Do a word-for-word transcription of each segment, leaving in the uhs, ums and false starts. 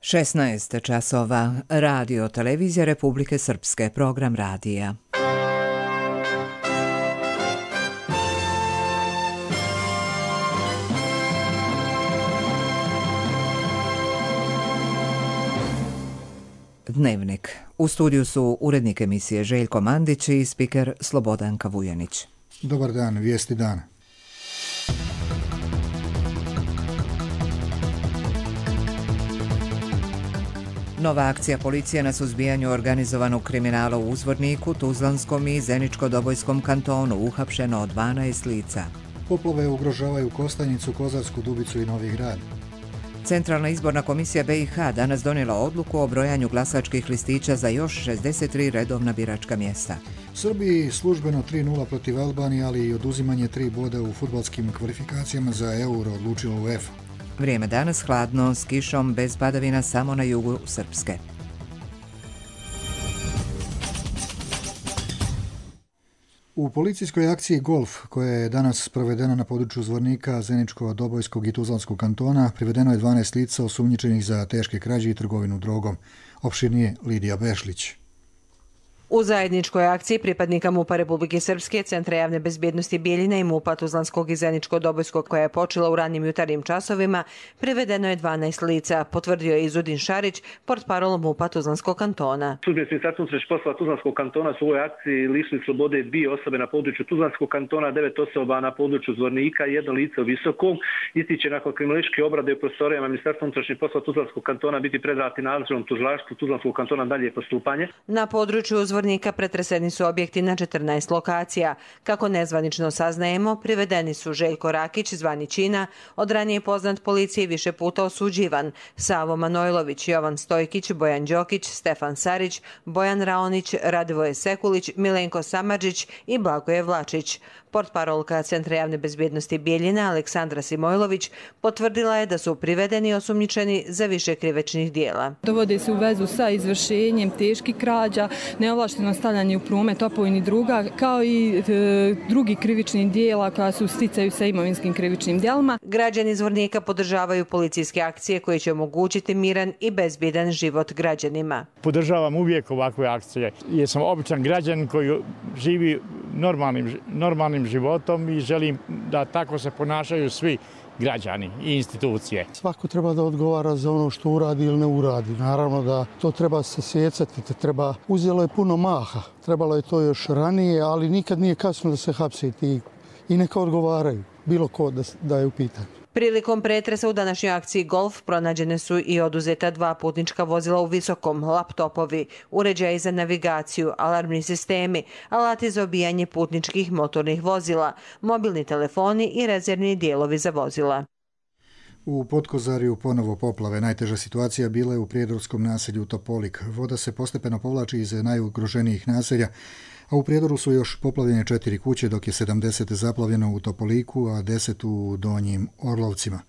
šesnaest časova. Radio Televizija Republike Srpske. Program radija. Dnevnik. U studiju su urednik emisije Željko Mandić i spiker Slobodanka Vujanić. Dobar dan, vijesti dana. Nova akcija policije na suzbijanju organizovanog kriminala u Uzvorniku, Tuzlanskom i Zeničko-Dobojskom kantonu. Uhapšeno dvanaest lica. Poplave ugrožavaju Kostajnicu, Kozarsku Dubicu i Novi Grad. Centralna izborna komisija B i H danas donijela odluku o brojanju glasačkih listića za još šezdeset tri redovna biračka mjesta. Srbiji službeno tri nula protiv Albanije, ali i oduzimanje tri boda u fudbalskim kvalifikacijama za Euro odlučila UEFA. Vrijeme danas hladno, s kišom, bez padavina samo na jugu Srpske. U policijskoj akciji Golf, koja je danas provedena na području Zvornika, Zeničko-Dobojskog i Tuzlanskog kantona, privedeno je dvanaest lica osumnjičenih za teške krađe i trgovinu drogom. Opširnije Lidija Bešlić. U zajedničkoj akciji pripadnika MUP-a Republike Srpske, Centra javne bezbjednosti Bijeljina i MUP-a Tuzlanskog i Zeničko-Dobojskog, koja je počela u ranim jutarnjim časovima, privedeno je dvanaest lica, potvrdio je Izudin Šarić, portparol MUP-a Tuzlanskog kantona. Službenici Ministarstva unutrašnjih poslova Tuzlanskog kantona su u ovoj akciji lišili slobode dvije osobe na području Tuzlanskog kantona, devet osoba na području Zvornika, jedno lice u Visokom. Ističe nakon kriminalističke obrade u prostorijama Ministarstva unutrašnjih poslova Tuzlanskog kantona biti predati nadležnom tužilaštvu Tuzlanskog kantona dalje postupanje. Na području Zvornika pretreseni su objekti na četrnaest lokacija. Kako nezvanično saznajemo, privedeni su Željko Rakić, zvani Čina, od ranije poznat policiji više puta osuđivan, Savo Manojlović, Jovan Stojkić, Bojan Đokić, Stefan Sarić, Bojan Raonić, Radivoje Sekulić, Milenko Samarđić i Blagoje Vlačić. Portparolka Centra javne bezbjednosti Bijeljina Aleksandra Simojlović potvrdila je da su privedeni i osumnjičeni za više krivečnih dijela. Dovode se u vezu sa izvršenjem teških krađa, neovlašteno stavljanje u promet opojnih druga, kao i e, drugi krivičnih dijela koja su sticaju sa imovinskim krivičnim dijelima. Građani Zvornika podržavaju policijske akcije koje će omogućiti miran i bezbjedan život građanima. Podržavam uvijek ovakve akcije jer sam običan građan koji živi normalnim, normalnim životom i želim da tako se ponašaju svi građani i institucije. Svako treba da odgovara za ono što uradi ili ne uradi. Naravno da to treba se sjecati, te treba, uzelo je puno maha. Trebalo je to još ranije, ali nikad nije kasno da se hapsiti i neka odgovaraju, bilo ko da, da je u pitanju. Prilikom pretresa u današnjoj akciji Golf pronađene su i oduzeta dva putnička vozila u Visokom, laptopovi, uređaji za navigaciju, alarmni sistemi, alati za obijanje putničkih motornih vozila, mobilni telefoni i rezervni dijelovi za vozila. U Potkozariju ponovo poplave. Najteža situacija bila je u prijedorskom naselju Topolik. Voda se postepeno povlači iz najugroženijih naselja, a u Prijedoru su još poplavljene četiri kuće, dok je sedamdeset zaplavljeno u Topoliku, a deset u Donjim Orlovcima.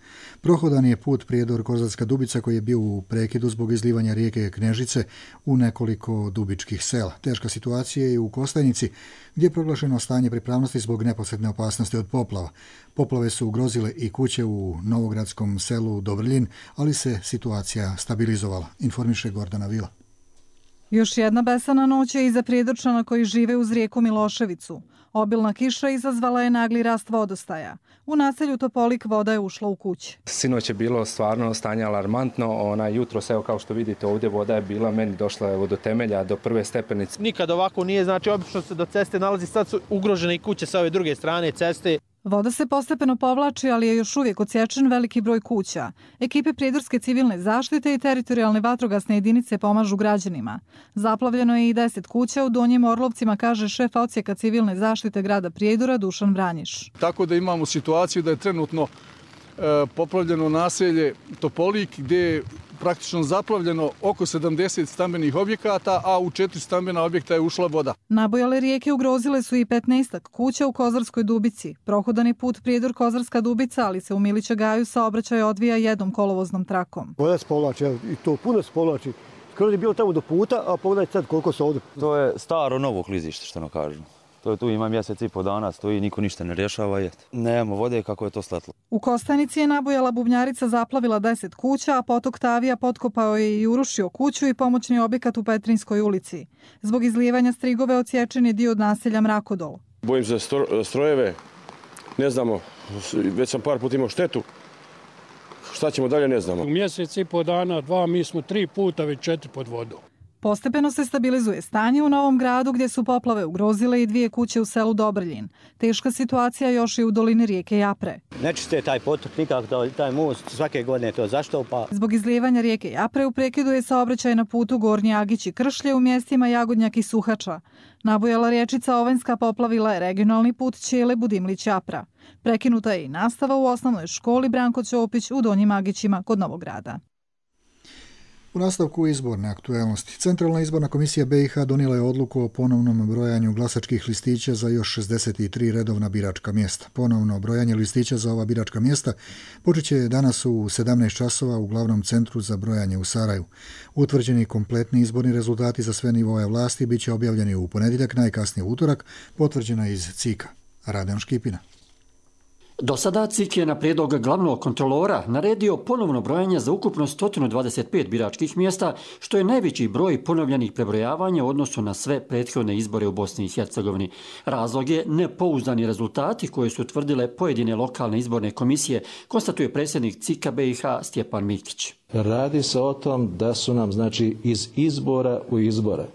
Prohodan je put Prijedor-Kozarska Dubica koji je bio u prekidu zbog izlivanja rijeke Knežice u nekoliko dubičkih sela. Teška situacija je i u Kostajnici, gdje je proglašeno stanje pripravnosti zbog neposredne opasnosti od poplava. Poplave su ugrozile i kuće u novogradskom selu Dovrljin, ali se situacija stabilizovala, informiše Gordana Vila. Još jedna besana noć je iza Prijedorčana koji žive uz rijeku Miloševicu. Obilna kiša izazvala je nagli rast vodostaja. U naselju Topolik voda je ušla u kuće. Sinoć je bilo stvarno stanje alarmantno. Ona jutro, evo kao što vidite ovdje, voda je bila, meni došla evo, do temelja, do prve stepenice. Nikad ovako nije, znači obično se do ceste nalazi, sad su ugrožene i kuće sa ove druge strane ceste. Voda se postepeno povlači, ali je još uvijek odsječen veliki broj kuća. Ekipe Prijedorske civilne zaštite i teritorijalne vatrogasne jedinice pomažu građanima. Zaplavljeno je i deset kuća u Donjim Orlovcima, kaže šef odsjeka civilne zaštite grada Prijedora Dušan Vranjiš. Tako da imamo situaciju da je trenutno e, poplavljeno naselje Topolik, gdje je praktično zaplavljeno oko sedamdeset stambenih objekata, a u četiri stambena objekta je ušla voda. Nabojale rijeke ugrozile su i petnaestak kuća u Kozarskoj Dubici. Prohodani put Prijedor-Kozarska Dubica, ali se u Milića Gaju saobraćaj odvija jednom kolovoznom trakom. Voda se povlači, i to puno se povlači. Skoro je bilo tamo do puta, a pogledajte sad koliko se ovdje. To je staro novo klizište, što nam kažu. To je tu ima mjesec i po dana, stoji, niko ništa ne rješava. Je. Nemamo vode kako je to sletlo. U Kostanici je nabujala bubnjarica zaplavila deset kuća, a potok Tavija potkopao je i urušio kuću i pomoćni objekat u Petrinskoj ulici. Zbog izlijevanja strigove odsječen je dio od naselja Mrakodol. Bojim se strojeve, ne znamo, već sam par puta imao štetu. Šta ćemo dalje, ne znamo. U mjesec i po dana, dva, mi smo tri puta već četiri pod vodom. Postepeno se stabilizuje stanje u Novom Gradu gdje su poplave ugrozile i dvije kuće u selu Dobrljin. Teška situacija još i u dolini rijeke Japre. Ne čiste taj potok, nikako taj most, svake godine to zaštopa. Zbog izlijevanja rijeke Japre u prekidu je saobraćaj na putu Gornji Agić i Kršlje u mjestima Jagodnjak i Suhača. Nabujala riječica Ovenska poplavila je regionalni put Ćele Budimlić Japra. Prekinuta je i nastava u osnovnoj školi Branko Ćopić u Donjim Agićima kod Novog Grada. U nastavku izborne aktuelnosti, Centralna izborna komisija B i H donijela je odluku o ponovnom brojanju glasačkih listića za još šezdeset tri redovna biračka mjesta. Ponovno brojanje listića za ova biračka mjesta počet će danas u sedamnaest časova u glavnom centru za brojanje u Saraju. Utvrđeni kompletni izborni rezultati za sve nivoje vlasti bit će objavljeni u ponedjeljak, najkasnije utorak, potvrđena iz C I K-a. Radan Škipina. Do sada C I K je na prijedlog glavnog kontrolora naredio ponovno brojanje za ukupno sto dvadeset pet biračkih mjesta, što je najveći broj ponovljenih prebrojavanja u odnosu na sve prethodne izbore u Bosni i Hercegovini. Razlog je nepouzdani rezultati koje su tvrdile pojedine lokalne izborne komisije, konstatuje predsjednik C I K-a B i H Stjepan Mikić. Radi se o tom da su nam, znači, iz izbora u izbore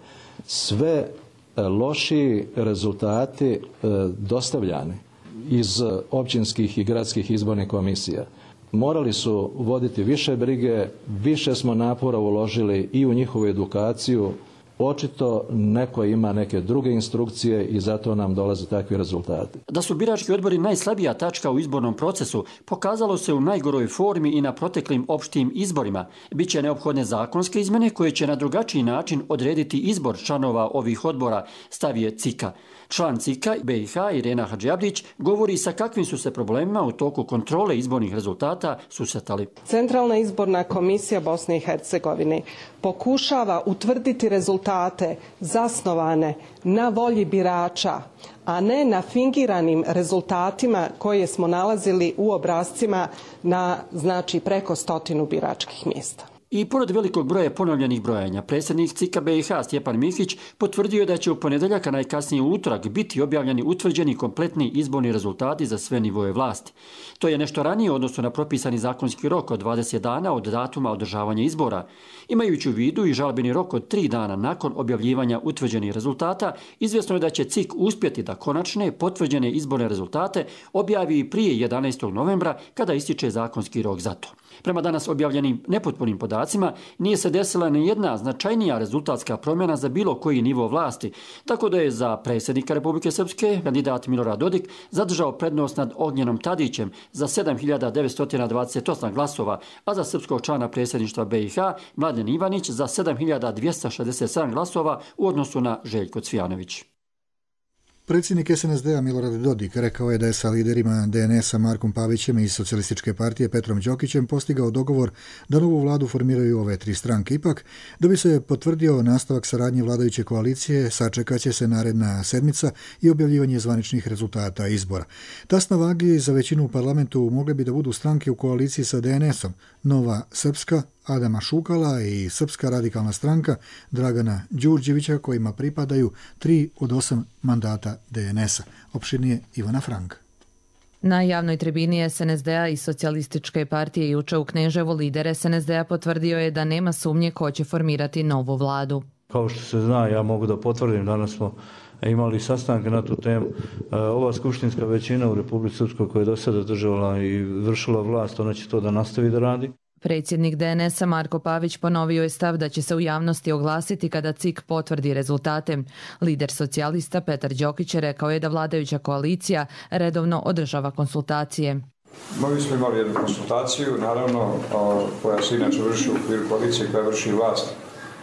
sve lošiji rezultati dostavljani iz općinskih i gradskih izbornih komisija. Morali su voditi više brige, više smo napora uložili i u njihovu edukaciju. Očito neko ima neke druge instrukcije i zato nam dolaze takvi rezultati. Da su birački odbori najslabija tačka u izbornom procesu pokazalo se u najgoroj formi i na proteklim opštim izborima. Biće neophodne zakonske izmjene koje će na drugačiji način odrediti izbor članova ovih odbora, stavije C I K-a. Član C I K-a B i H Irena Hadžiabdić govori sa kakvim su se problemima u toku kontrole izbornih rezultata susretali. Centralna izborna komisija Bosne i Hercegovine pokušava utvrditi rezultate zasnovane na volji birača, a ne na fingiranim rezultatima koje smo nalazili u obrascima na, znači, preko stotinu biračkih mjesta. I pored velikog broja ponovljenih brojanja, predsjednik C I K-a B i H Stjepan Mikić potvrdio da će u ponedjeljak, a najkasnije u utorak, biti objavljeni utvrđeni kompletni izborni rezultati za sve nivoje vlasti. To je nešto ranije u odnosu na propisani zakonski rok od dvadeset dana od datuma održavanja izbora. Imajući u vidu i žalbeni rok od tri dana nakon objavljivanja utvrđenih rezultata, izvjesno je da će C I K uspjeti da konačne potvrđene izborne rezultate objavi i prije jedanaestog novembra kada ističe zakonski rok za to. Prema danas objavljenim nepotpunim podacima nije se desila ni jedna značajnija rezultatska promjena za bilo koji nivo vlasti, tako da je za predsjednika Republike Srpske kandidat Milorad Dodik zadržao prednost nad Ognjenom Tadićem za sedam hiljada devetsto dvadeset osam glasova, a za srpskog člana predsjedništva B i H Mladen Ivanić za sedam hiljada dvjesto šezdeset sedam glasova u odnosu na Željko Cvijanović. Predsjednik S N S D-a Milorad Dodik rekao je da je sa liderima D N S-a Markom Pavićem i Socijalističke partije Petrom Đokićem postigao dogovor da novu vladu formiraju ove tri stranke. Ipak, da bi se potvrdio nastavak saradnje vladajuće koalicije, sačekat će se naredna sedmica i objavljivanje zvaničnih rezultata izbora. Tasna vagi za većinu u parlamentu mogle bi da budu stranke u koaliciji sa D N S-om, Nova Srpska, Adama Šukala i Srpska radikalna stranka Dragana Đurđevića, kojima pripadaju tri od osam mandata D N S-a. Opširnije Ivana Frank. Na javnoj tribini S N S D-a i Socijalističke partije juče u Kneževu lider S N S D-a potvrdio je da nema sumnje ko će formirati novu vladu. Kao što se zna, ja mogu da potvrdim, danas smo imali sastanke na tu temu. Ova skupštinska većina u Republici Srpskoj koja je do sada držala i vršila vlast, ona će to da nastavi da radi. Predsjednik D N S-a Marko Pavić ponovio je stav da će se u javnosti oglasiti kada C I K potvrdi rezultate. Lider socijalista Petar Đokić rekao je da vladajuća koalicija redovno održava konsultacije. Mi smo imali jednu konsultaciju, naravno, koja se inače vrši u okviru koalicije koja vrši vlast,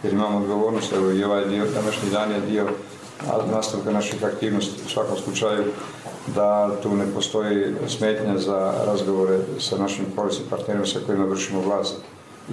jer imamo odgovornost, evo i ovaj dio, današnji dan je dio nastavka naših aktivnosti. U svakom slučaju da tu ne postoji smetnja za razgovore sa našim koalicijskim partnerima sa kojima vršimo vlast.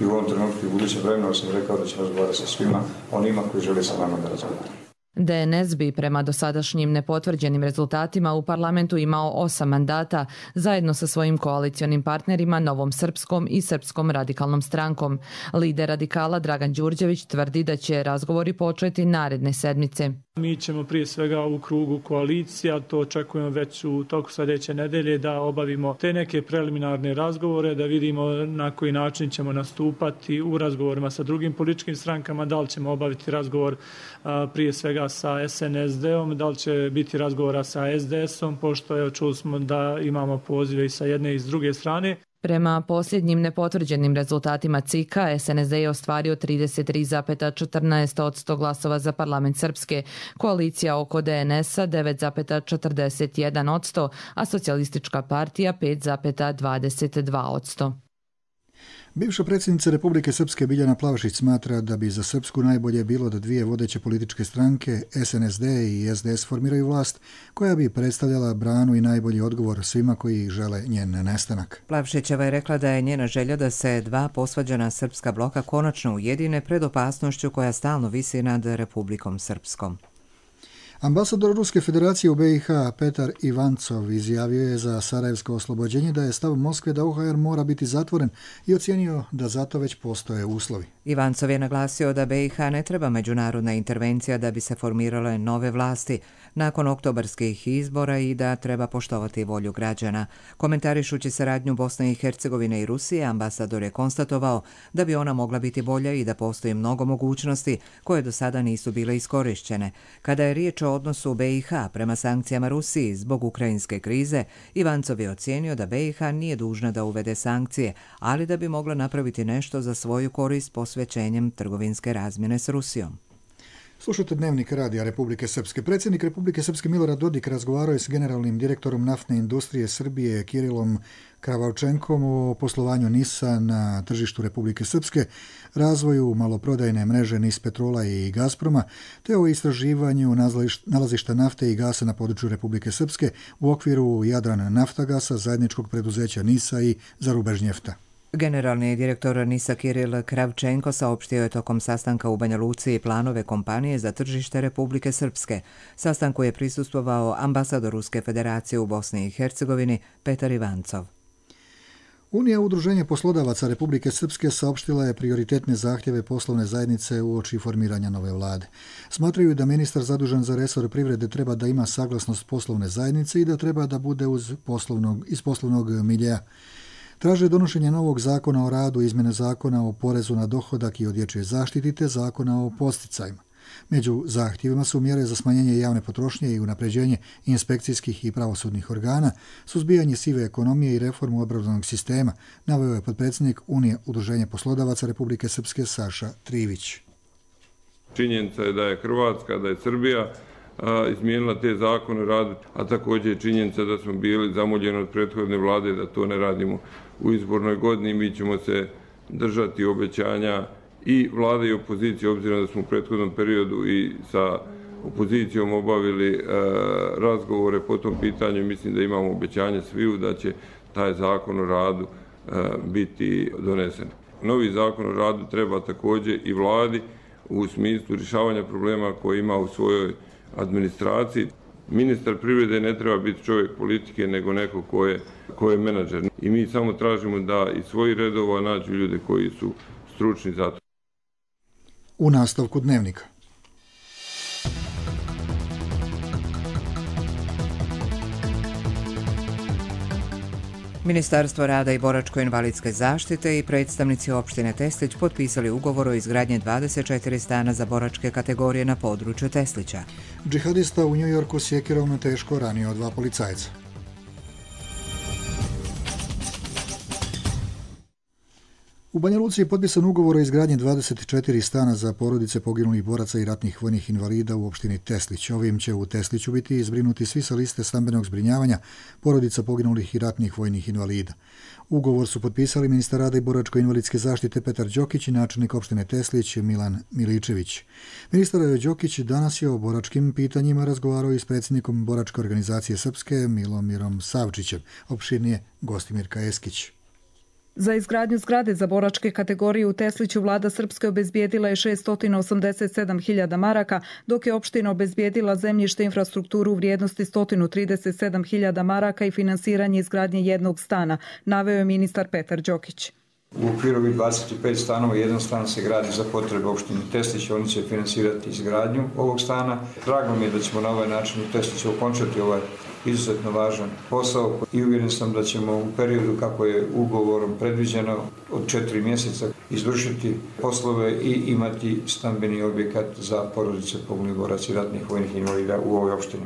I u ovom trenutku i u budućem vremenu sam rekao da ćemo razgovarati sa svima onima koji žele sa nama da razgovaraju. D N S bi prema dosadašnjim nepotvrđenim rezultatima u parlamentu imao osam mandata zajedno sa svojim koalicionim partnerima Novom Srpskom i Srpskom radikalnom strankom. Lider radikala Dragan Đurđević tvrdi da će razgovori početi naredne sedmice. Mi ćemo prije svega u krugu koalicija, to očekujemo već u toku sljedeće nedelje, da obavimo te neke preliminarne razgovore, da vidimo na koji način ćemo nastupati u razgovorima sa drugim političkim strankama, da li ćemo obaviti razgovor a, prije svega sa S N S D-om, da li će biti razgovora sa S D S-om, pošto evo, čuli smo da imamo pozive i sa jedne i s druge strane. Prema posljednjim nepotvrđenim rezultatima C I K-a, S N S D je ostvario trideset tri zarez četrnaest posto glasova za parlament Srpske, koalicija oko D N S-a devet zarez četrdeset jedan posto, a socijalistička partija pet zarez dvadeset dva posto. Bivša predsjednica Republike Srpske Biljana Plavšić smatra da bi za Srpsku najbolje bilo da dvije vodeće političke stranke, S N S D i S D S, formiraju vlast koja bi predstavljala branu i najbolji odgovor svima koji žele njen nestanak. Plavšićeva je rekla da je njena želja da se dva posvađana srpska bloka konačno ujedine pred opasnošću koja stalno visi nad Republikom Srpskom. Ambasador Ruske federacije u B i H Petar Ivancov izjavio je za sarajevsko oslobođenje da je stav Moskve da O H R mora biti zatvoren i ocijenio da zato već postoje uslovi. Ivancov je naglasio da B i H ne treba međunarodna intervencija da bi se formirale nove vlasti nakon oktobarskih izbora i da treba poštovati volju građana. Komentarišući saradnju Bosne i Hercegovine i Rusije, ambasador je konstatovao da bi ona mogla biti bolja i da postoji mnogo mogućnosti koje do sada nisu bile iskorišćene. Kada je riječ o odnosu B i H prema sankcijama Rusiji zbog ukrajinske krize, Ivancov je ocijenio da B i H nije dužna da uvede sankcije, ali da bi mogla napraviti nešto za svoju korist posvećenjem trgovinske razmjene s Rusijom. Slušajte Dnevnik radija Republike Srpske. Predsjednik Republike Srpske Milorad Dodik razgovarao je s generalnim direktorom naftne industrije Srbije Kirilom Kravčenkom o poslovanju NIS-a na tržištu Republike Srpske, razvoju maloprodajne mreže NIS Petrola i Gazproma, te o istraživanju nalazišta nafte i gasa na području Republike Srpske u okviru Jadran Naftagasa, zajedničkog preduzeća NIS-a i Zarubežnjefta. Generalni direktor NIS-a Kiril Kravčenko saopštio je tokom sastanka u Banja Luci planove kompanije za tržište Republike Srpske. Sastanku je prisustvovao ambasador Ruske federacije u Bosni i Hercegovini Petar Ivancov. Unija udruženja poslodavaca Republike Srpske saopštila je prioritetne zahtjeve poslovne zajednice uoči formiranja nove vlade. Smatraju da ministar zadužen za resor privrede treba da ima saglasnost poslovne zajednice i da treba da bude uz poslovnog, iz poslovnog miljeja. Traže donošenje novog zakona o radu, izmjene zakona o porezu na dohodak i o dječjoj zaštiti te zakona o posticajima. Među zahtjevima su mjere za smanjenje javne potrošnje i unapređenje inspekcijskih i pravosudnih organa, suzbijanje sive ekonomije i reformu obrazovnog sistema, naveo je potpredsjednik Unije udruženja poslodavaca Republike Srpske Saša Trivić. Činjenica je da je Hrvatska, da je Srbija a, izmijenila te zakone o radu, a također je činjenica da smo bili zamoljeni od prethodne vlade da to ne radimo u izbornoj godini. Mi ćemo se držati obećanja i vlade i opozicije, obzirom da smo u prethodnom periodu i sa opozicijom obavili e, razgovore po tom pitanju. Mislim da imamo obećanje sviju da će taj zakon o radu e, biti donesen. Novi zakon o radu treba također i vladi u smislu rješavanja problema koje ima u svojoj administraciji. Ministar privrede ne treba biti čovjek politike, nego neko ko je, ko je menadžer. I mi samo tražimo da iz svojih redova nađu ljude koji su stručni za to. U nastavku Dnevnika. Ministarstvo rada i boračko-invalidske zaštite i predstavnici opštine Teslić potpisali ugovor o izgradnji dvadeset četiri stana za boračke kategorije na području Teslića. Džihadista u Njujorku sjekirom teško ranio dva policajca. U Banja Luci je potpisan ugovor o izgradnji dvadeset četiri stana za porodice poginulih boraca i ratnih vojnih invalida u opštini Teslić. Ovim će u Tesliću biti zbrinuti svi sa liste stambenog zbrinjavanja porodica poginulih i ratnih vojnih invalida. Ugovor su potpisali ministar rada i boračko-invalidske zaštite Petar Đokić i načelnik opštine Teslić Milan Miličević. Ministar Đokić danas je o boračkim pitanjima razgovarao i s predsjednikom boračke organizacije Srpske Milomirom Savčićem. Opširnije Gostimir Kajeskić. Za izgradnju zgrade za boračke kategorije u Tesliću vlada Srpske obezbijedila je šessto osamdeset sedam hiljada maraka, dok je opština obezbijedila zemljište infrastrukturu u vrijednosti sto trideset sedam hiljada maraka i finansiranje izgradnje jednog stana, naveo je ministar Petar Đokić. U okviru ovih dvadeset pet stanova jedan stan se gradi za potrebe opštine Teslić, oni će finansirati izgradnju ovog stana. Drago mi je da ćemo na ovaj način u Tesliću okončati ovaj izuzetno važan posao i uvjeren sam da ćemo u periodu kako je ugovorom predviđeno od četiri mjeseca izvršiti poslove i imati stambeni objekat za porodice poginulih boraca i ratnih vojnih invalida u ovoj opštini.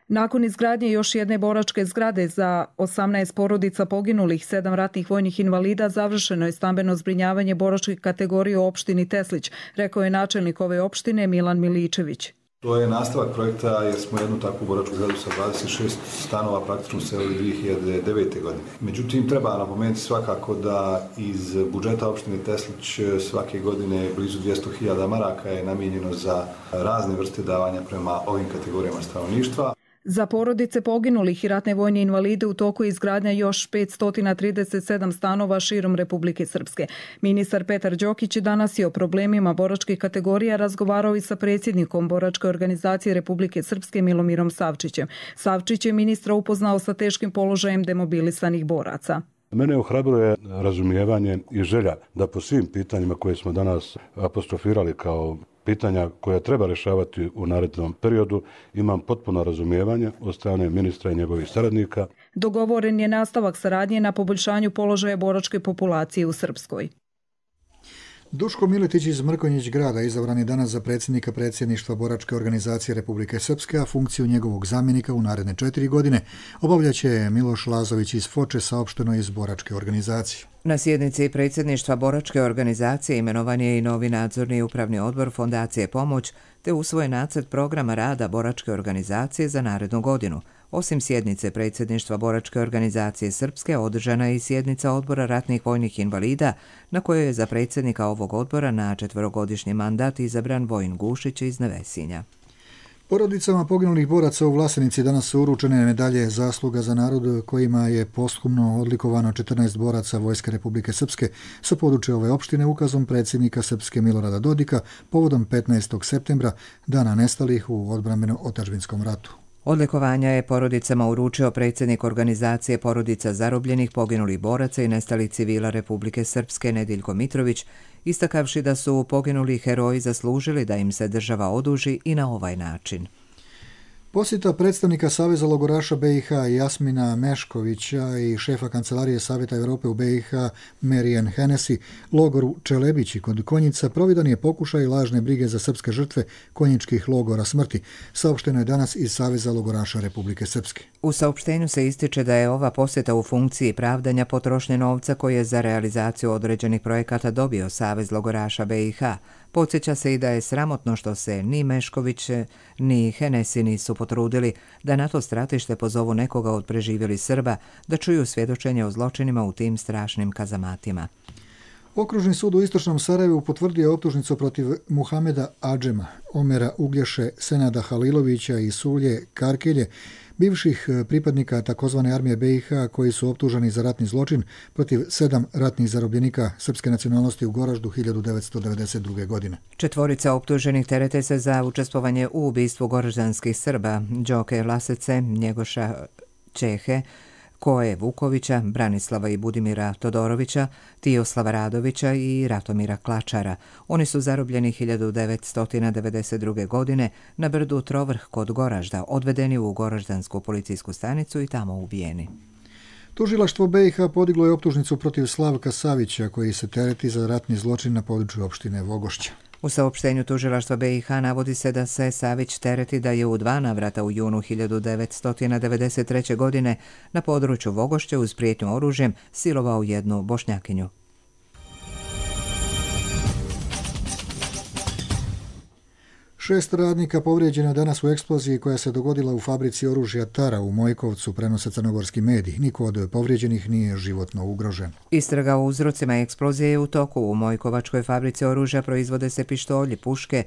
Nakon izgradnje još jedne boračke zgrade za osamnaest porodica poginulih, sedam ratnih vojnih invalida, završeno je stambeno zbrinjavanje boračke kategorije u opštini Teslić, rekao je načelnik ove opštine Milan Miličević. To je nastavak projekta jer smo jednu takvu boračku zgradu sa dvadeset šest stanova praktično uselili dvije hiljade devete. godine. Međutim, treba napomenuti svakako da iz budžeta opštine Teslić svake godine blizu dvjesto hiljada maraka je namijenjeno za razne vrste davanja prema ovim kategorijama stanovništva. Za porodice poginulih i ratne vojne invalide u toku je izgradnja još petsto trideset sedam stanova širom Republike Srpske. Ministar Petar Đokić danas je o problemima boračkih kategorija razgovarao i sa predsjednikom Boračke organizacije Republike Srpske Milomirom Savčićem. Savčić je ministra upoznao sa teškim položajem demobilisanih boraca. Mene ohrabruje razumijevanje i želja da po svim pitanjima koje smo danas apostrofirali kao pitanja koja treba rješavati u narednom periodu, imam potpuno razumijevanje od strane ministra i njegovih saradnika. Dogovoren je nastavak saradnje na poboljšanju položaja boračke populacije u Srpskoj. Duško Miletić iz Mrkonjić grada izabran je danas za predsjednika predsjedništva Boračke organizacije Republike Srpske, a funkciju njegovog zamjenika u naredne četiri godine obavljaće Miloš Lazović iz Foče, saopšteno iz Boračke organizacije. Na sjednici predsjedništva Boračke organizacije imenovan je i novi nadzorni upravni odbor Fondacije Pomoć, te usvojen nacrt programa rada Boračke organizacije za narednu godinu. Osim sjednice predsjedništva Boračke organizacije Srpske, održana je i sjednica odbora ratnih vojnih invalida, na kojoj je za predsjednika ovog odbora na četverogodišnji mandat izabran Vojin Gušić iz Nevesinja. Porodicama poginulih boraca u Vlasenici danas su uručene medalje zasluga za narod kojima je posthumno odlikovano četrnaest boraca Vojske Republike Srpske sa područja ove opštine ukazom predsjednika Srpske Milorada Dodika povodom petnaestog septembra, dana nestalih u odbrambeno-otadžbinskom ratu. Odlikovanja je porodicama uručio predsjednik organizacije porodica zarobljenih poginulih boraca i nestalih civila Republike Srpske Nediljko Mitrović, istakavši da su poginuli heroji zaslužili da im se država oduži i na ovaj način. Posjeta predstavnika Saveza logoraša be i ha Jasmina Meškovića i šefa Kancelarije Savjeta Europe u be i ha Marijan Hennessy logoru Čelebići kod Konjica providan je pokušaj lažne brige za srpske žrtve konjičkih logora smrti, saopšteno je danas iz Saveza logoraša Republike Srpske. U saopštenju se ističe da je ova posjeta u funkciji pravdanja potrošnje novca koje je za realizaciju određenih projekata dobio Savez logoraša be i ha. Podsjeća se i da je sramotno što se ni Mešković ni Hennessy nisu potrudili da na to stratište pozovu nekoga od preživjelih Srba da čuju svjedočenje o zločinima u tim strašnim kazamatima. Okružni sud u Istočnom Sarajevu potvrdio je optužnicu protiv Muhameda Adžema, Omera Uglješe, Senada Halilovića i Sulje Karkelje, bivših pripadnika takozvane armije be i ha koji su optuženi za ratni zločin protiv sedam ratnih zarobljenika srpske nacionalnosti u Goraždu hiljadu devetsto devedeset druge. godine. Četvorica optuženih terete se za učestvovanje u ubistvu goraždanskih Srba, Đoke Lasece, Njegoša Čehe, Koje Vukovića, Branislava i Budimira Todorovića, Tijoslava Radovića i Ratomira Klačara. Oni su zarobljeni hiljadu devetsto devedeset druge. godine na brdu Trovrh kod Goražda, odvedeni u Goraždansku policijsku stanicu i tamo ubijeni. Tužilaštvo be i ha podiglo je optužnicu protiv Slavka Savića koji se tereti za ratni zločin na području opštine Vogošća. U saopštenju tužilaštva be i ha navodi se da se Savić tereti da je u dva navrata u junu hiljadu devetsto devedeset treće. godine na području Vogošće uz prijetnju oružjem silovao jednu Bošnjakinju. Šest radnika povrijeđeno danas u eksploziji koja se dogodila u fabrici oružja Tara u Mojkovcu, prenose crnogorski mediji. Niko od povrijeđenih nije životno ugrožen. Istraga o uzrocima eksplozije je u toku. U Mojkovačkoj fabrici oružja proizvode se pištolji, puške,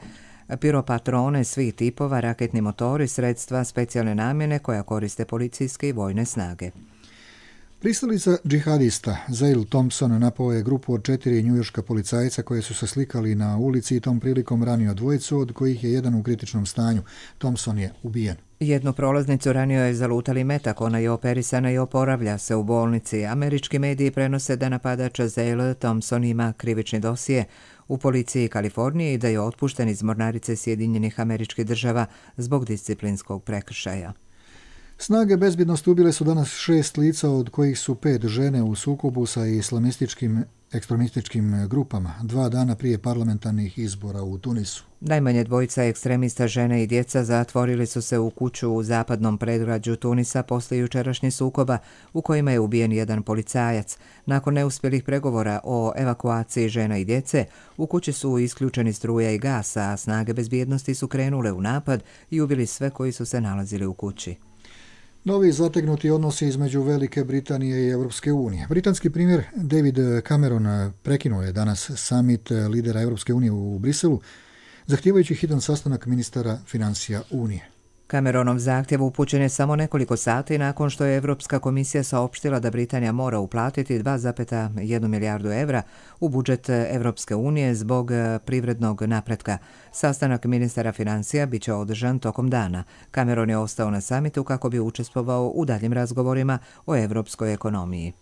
piropatrone svih tipova, raketni motori, sredstva specijalne namjene koja koriste policijske i vojne snage. Pristalica džihadista Zail Thompson napao je grupu od četiri njujorška policajca koje su se slikali na ulici i tom prilikom ranio dvojicu, od kojih je jedan u kritičnom stanju. Thompson je ubijen. Jednu prolaznicu ranio je zalutali metak, ona je operisana i oporavlja se u bolnici. Američki mediji prenose da napadač Zail Thompson ima krivični dosije u policiji Kalifornije i da je otpušten iz mornarice Sjedinjenih Američkih Država zbog disciplinskog prekršaja. Snage bezbjednosti ubile su danas šest lica, od kojih su pet žene u sukobu sa islamističkim ekstremističkim grupama, dva dana prije parlamentarnih izbora u Tunisu. Najmanje dvojica ekstremista, žene i djeca, zatvorili su se u kuću u zapadnom predgrađu Tunisa poslije jučerašnjih sukoba u kojima je ubijen jedan policajac. Nakon neuspjelih pregovora o evakuaciji žena i djece, u kući su isključeni struja i gas, a snage bezbjednosti su krenule u napad i ubili sve koji su se nalazili u kući. Novi zategnuti odnosi između Velike Britanije i Europske unije. Britanski premijer David Cameron prekinuo je danas summit lidera Europske unije u Briselu, zahtijevajući hitan sastanak ministara financija Unije. Cameronov zahtjev upućen je samo nekoliko sati nakon što je Europska komisija saopštila da Britanija mora uplatiti dva zarez jedna milijardu evra u budžet Europske unije zbog privrednog napretka. Sastanak ministara financija bit će održan tokom dana. Cameron je ostao na samitu kako bi učestvovao u daljim razgovorima o europskoj ekonomiji.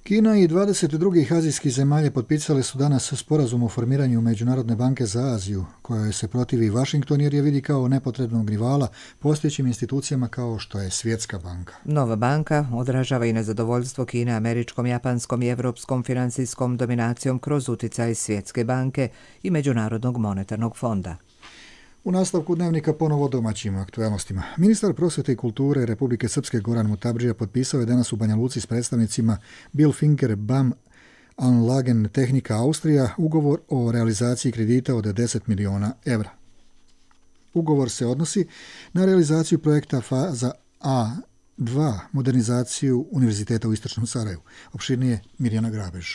Kina i dvadeset drugih azijskih zemalja potpisale su danas sporazum o formiranju Međunarodne banke za Aziju, kojoj se protivi Washington jer je vidi kao nepotrebnog rivala postojećim institucijama kao što je Svjetska banka. Nova banka odražava i nezadovoljstvo Kine američkom, japanskom i evropskom financijskom dominacijom kroz uticaj Svjetske banke i Međunarodnog monetarnog fonda. U nastavku dnevnika ponovo domaćim aktualnostima. Ministar prosvjete i kulture Republike Srpske Goran Mutabdžija potpisao je danas u Banja Luci s predstavnicima Bilfinger B A M Anlagen Tehnika Austrija ugovor o realizaciji kredita od deset miliona evra. Ugovor se odnosi na realizaciju projekta faza A dva, modernizaciju Univerziteta u Istočnom Sarajevu. Opširnije Mirjana Grabež.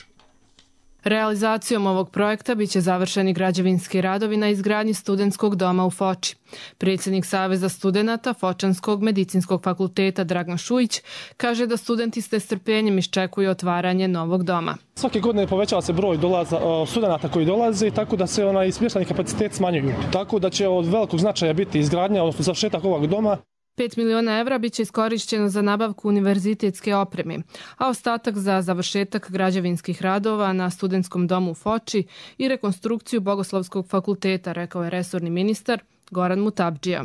Realizacijom ovog projekta biće završeni građevinski radovi na izgradnji studentskog doma u Foči. Predsjednik Saveza studenata Fočanskog medicinskog fakulteta Dragan Šujić kaže da studenti s nestrpljenjem iščekuju otvaranje novog doma. Svake godine povećava se broj dolaza, studenata koji dolaze, tako da se onaj smještajni kapacitet smanjuju. Tako da će od velikog značaja biti izgradnja, odnosno završetak ovog doma. pet miliona evra biće iskorišćeno za nabavku univerzitetske opreme, a ostatak za završetak građevinskih radova na studentskom domu u Foči i rekonstrukciju Bogoslovskog fakulteta, rekao je resorni ministar Goran Mutabdžija.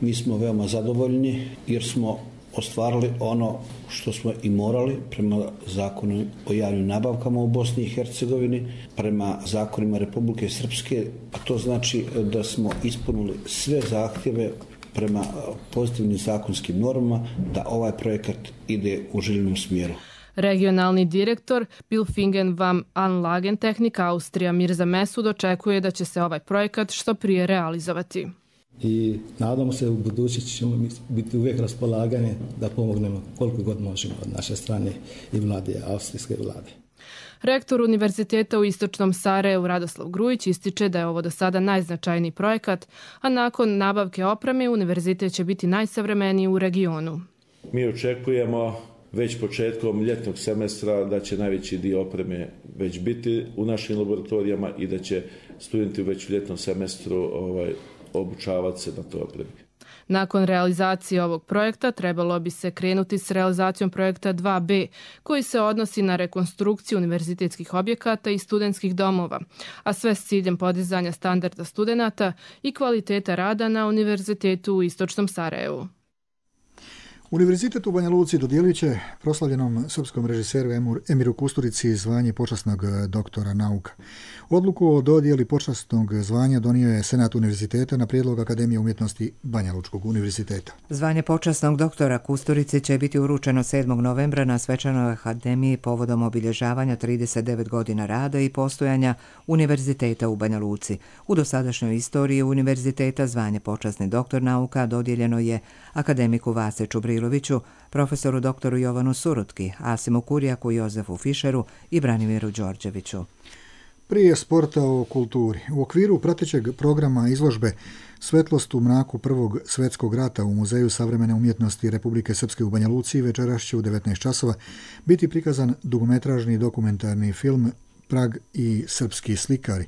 Mi smo veoma zadovoljni jer smo ostvarili ono što smo i morali prema zakonu o javnim nabavkama u Bosni i Hercegovini, prema zakonima Republike Srpske, a to znači da smo ispunili sve zahtjeve prema pozitivnim zakonskim normama da ovaj projekat ide u željenom smjeru. Regionalni direktor Bilfingen vam Anlagen Tehnika Austrija Mirza Mesud očekuje da će se ovaj projekat što prije realizovati. I nadamo se u budućnosti ćemo biti uvijek raspolagani da pomognemo koliko god možemo od naše strane i vlade, austrijske vlade. Rektor Univerziteta u Istočnom Sarajevu Radoslav Grujić ističe da je ovo do sada najznačajniji projekat, a nakon nabavke opreme univerzitet će biti najsavremeniji u regionu. Mi očekujemo već početkom ljetnog semestra da će najveći dio opreme već biti u našim laboratorijama i da će studenti već u ljetnom semestru ovaj, obučavati se na toj opremi. Nakon realizacije ovog projekta trebalo bi se krenuti s realizacijom projekta dva B, koji se odnosi na rekonstrukciju univerzitetskih objekata i studentskih domova, a sve s ciljem podizanja standarda studenata i kvaliteta rada na Univerzitetu u Istočnom Sarajevu. Univerzitet u Banja Luci dodijelit će proslavljenom srpskom režiseru Emiru Kusturici zvanje počasnog doktora nauka. Odluku o dodijeli počasnog zvanja donio je Senat univerziteta na prijedlog Akademije umjetnosti Banja Lučkog univerziteta. Zvanje počasnog doktora Kusturici će biti uručeno sedmog novembra na svečanoj akademiji povodom obilježavanja trideset devet godina rada i postojanja univerziteta u Banja Luci. U dosadašnjoj istoriji univerziteta zvanje počasni doktor nauka dodijeljeno je akademiku Vase Čubriloviću, profesoru doktoru Jovanu Surutki, Asimu Kurjaku, Jozefu Fišeru i Branimiru Đorđeviću. Prije sporta o kulturi. U okviru pratećeg programa izložbe Svetlost u mraku Prvog svjetskog rata u Muzeju savremene umjetnosti Republike Srpske u Banja Luci večeras će u devetnaest časova biti prikazan dugometražni dokumentarni film Prag i srpski slikari,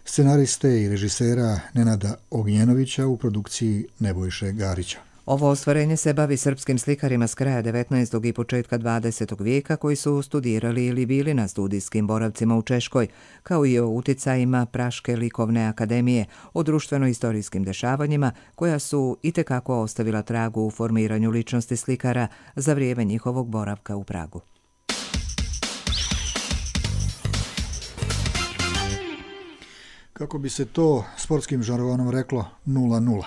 scenariste i režisera Nenada Ognjenovića u produkciji Nebojše Garića. Ovo ostvarenje se bavi srpskim slikarima s kraja devetnaestog i početka dvadesetog vijeka koji su studirali ili bili na studijskim boravcima u Češkoj, kao i o uticajima Praške likovne akademije, o društveno-istorijskim dešavanjima koja su itekako ostavila tragu u formiranju ličnosti slikara za vrijeme njihovog boravka u Pragu. Kako bi se to sportskim žargonom reklo, nula nula.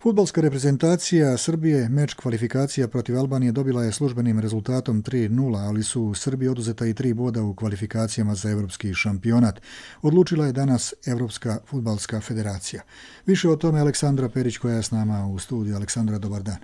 Fudbalska reprezentacija Srbije meč kvalifikacija protiv Albanije dobila je službenim rezultatom tri nula, ali su u Srbiji oduzeta i tri boda u kvalifikacijama za evropski šampionat. Odlučila je danas Evropska fudbalska federacija. Više o tome Aleksandra Perić koja je s nama u studiju. Aleksandra, dobar dan.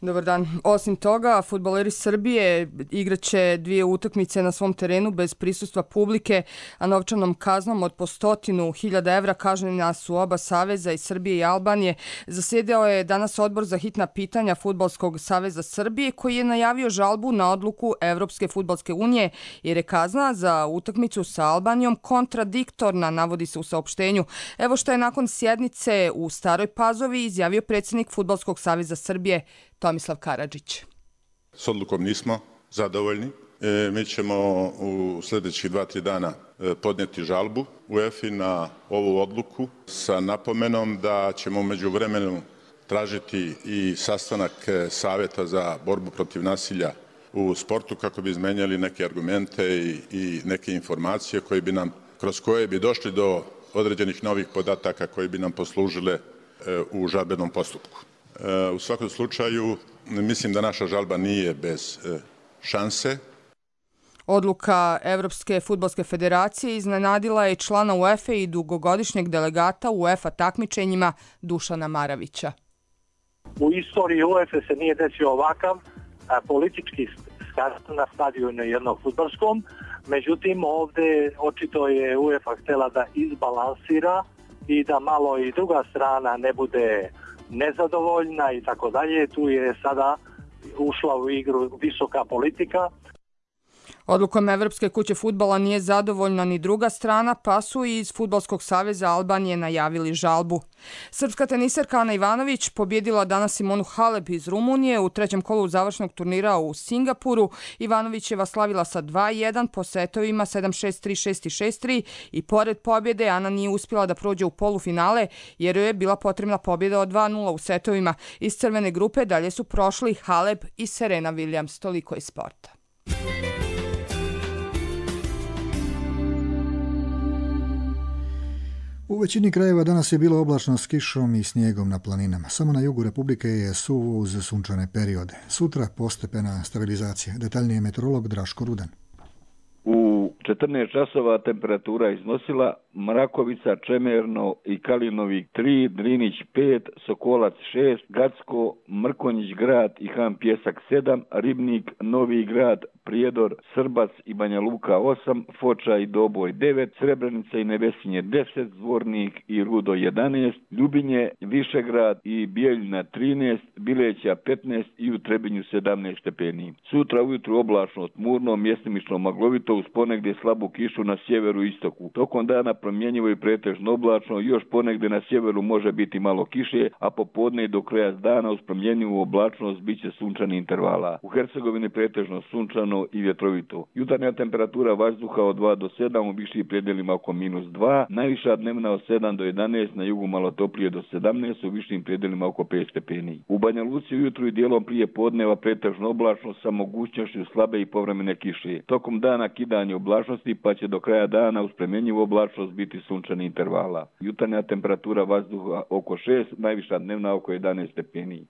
Dobar dan. Osim toga, fudbaleri Srbije igraće dvije utakmice na svom terenu bez prisustva publike, a novčanom kaznom od po stotinu hiljada evra kažnjena su oba saveza i Srbije i Albanije. Zasjedao je danas odbor za hitna pitanja Fudbalskog saveza Srbije koji je najavio žalbu na odluku Evropske fudbalske unije jer je kazna za utakmicu sa Albanijom kontradiktorna, navodi se u saopštenju. Evo što je nakon sjednice u Staroj Pazovi izjavio predsjednik Fudbalskog saveza Srbije Tomislav Karadžić. S odlukom nismo zadovoljni. E, mi ćemo u sljedećih dva, tri dana podnijeti žalbu u UEFA na ovu odluku sa napomenom da ćemo u međuvremenu tražiti i sastanak Savjeta za borbu protiv nasilja u sportu kako bi izmenjali neke argumente i, i neke informacije koje bi nam, kroz koje bi došli do određenih novih podataka koji bi nam poslužile e, u žalbenom postupku. U svakom slučaju, mislim da naša žalba nije bez šanse. Odluka Evropske fudbalske federacije iznenadila je člana UEFA i dugogodišnjeg delegata u UEFA takmičenjima Dušana Maravića. U istoriji UEFA se nije desio ovakav politički skandal na stadionu jednog fudbalskom, međutim ovdje očito je UEFA htjela da izbalansira i da malo i druga strana ne bude nezadovoljna i tako dalje. Tu je sada ušla u igru visoka politika. Odlukom Evropske kuće fudbala nije zadovoljna ni druga strana, pa su iz Fudbalskog saveza Albanije najavili žalbu. Srpska teniserka Ana Ivanović pobjedila danas Simonu Halep iz Rumunije u trećem kolu završnog turnira u Singapuru. Ivanovićeva slavila sa dva jedan po setovima sedam šest, tri šest i šest tri i pored pobjede Ana nije uspjela da prođe u polufinale jer joj je bila potrebna pobjeda od dva nula u setovima. Iz crvene grupe dalje su prošli Halep i Serena Williams. Toliko iz sporta. U većini krajeva danas je bilo oblačno s kišom i snijegom na planinama. Samo na jugu Republike je suvo uz sunčane periode. Sutra postepena stabilizacija. Detaljnije meteorolog Draško Rudan. U četrnaest časova temperatura iznosila Mrakovica, Čemerno i Kalinovik tri, Drinić pet, Sokolac šest, Gacko, Mrkonjić grad i Han Pjesak sedam, Ribnik, Novi grad, Prijedor, Srbac i Banja Luka osam, Foča i Doboj devet, Srebrenica i Nevesinje deset, Zvornik i Rudo jedanaest, Ljubinje, Višegrad i Bijeljina trinaest, Bileća petnaest i u Trebinju sedamnaest stepeni. Sutra ujutru oblačno, tmurno, mjestimično maglovito uz ponegdje slabu kišu na sjeveru i istoku. Tokom dana promjenjivo i pretežno oblačno, još ponegdje na sjeveru može biti malo kiše, a popodne i do kraja dana uz promjenjivu oblačnost bit će sunčani intervala. U Hercegovini pretežno sunčano i vjetrovito. Jutarnja temperatura vazduha od dva do sedam, u višim predjelima oko minus dva, najviša dnevna od sedam do jedanaest, na jugu malo toplije do sedamnaest, u višim predjelima oko pet stepeni. U Banja Luci ujutru i dijelom prije podneva pretežno oblačno sa mogućnošću slabe i povremene kiše. Tokom dana kidanje oblačnosti, pa će do kraja dana uz promjenjivu oblačnost biti sunčani intervala. Jutarnja temperatura vazduha oko šest, najviša dnevna oko jedanaest stepeni.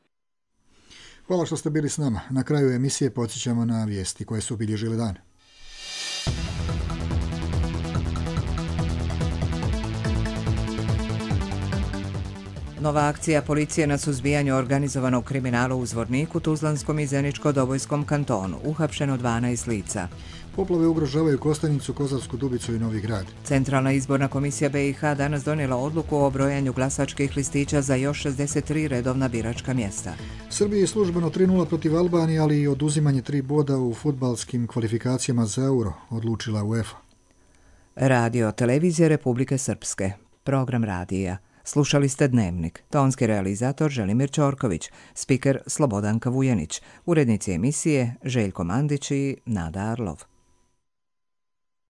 Hvala što ste bili s nama. Na kraju emisije podsjećamo na vijesti koje su obilježile dan. Nova akcija policije na suzbijanju organizovanog kriminala u Zvorniku, Tuzlanskom i Zeničko-Dobojskom kantonu. Uhapšeno dvanaest lica. Poplave ugrožavaju Kostajnicu, Kozavsku Dubicu i Novi Grad. Centralna izborna komisija B i H danas donijela odluku o brojanju glasačkih listića za još šezdeset tri redovna biračka mjesta. Srbiji je službeno tri nula protiv Albanije, ali i oduzimanje tri boda u fudbalskim kvalifikacijama za Euro, odlučila UEFA. Radio Televizije Republike Srpske. Program radija. Slušali ste Dnevnik. Tonski realizator Želimir Ćorković, spiker Slobodanka Vujanić, urednici emisije Željko Mandić i Nada Arlov.